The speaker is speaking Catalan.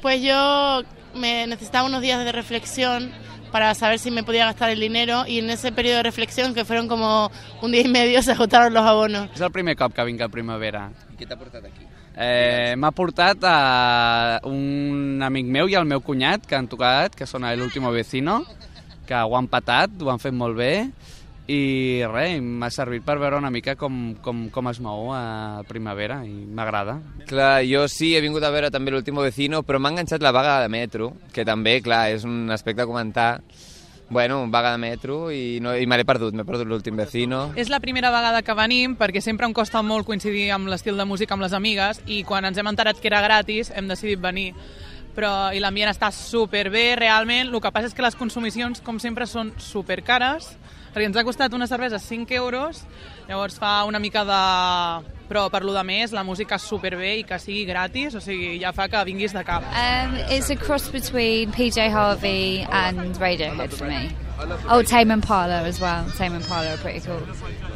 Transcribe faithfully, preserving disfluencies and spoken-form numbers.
Pues yo me necesitaba unos días de reflexión para saber si me podía gastar el dinero, y en ese periodo de reflexión, que fueron como un día y medio, se agotaron los abonos. És el primer cop que vinc a Primavera. I què t'ha portat aquí? Eh, M'ha portat a un amic meu i el meu cunyat que han tocat, que són El Último Vecino, que ho han patat, ho han fet molt bé, i res, m'ha servit per veure una mica com, com, com es mou a Primavera, i m'agrada. Clar, jo sí, he vingut a veure també l'Último Vecino, però m'ha enganxat la vaga de metro, que també, clar, és un aspecte a comentar. Bueno, vaga de metro, i, no, i me l'he perdut, m'he perdut l'Últim Vecino. És la primera vegada que venim, perquè sempre em costa molt coincidir amb l'estil de música amb les amigues, i quan ens hem enterat que era gratis hem decidit venir. Però, i l'ambient està superbé, realment. El que passa és que les consumicions, com sempre, són supercares, perquè ens ha costat una cervesa cinc euros, llavors fa una mica de... Però per lo de més, la música és superbé, i que sigui gratis, o sigui, ja fa que vinguis de cap. Um, it's a cross between P J Harvey and Radiohead for me. Oh, Tame Impala as well. Tame Impala are pretty cool.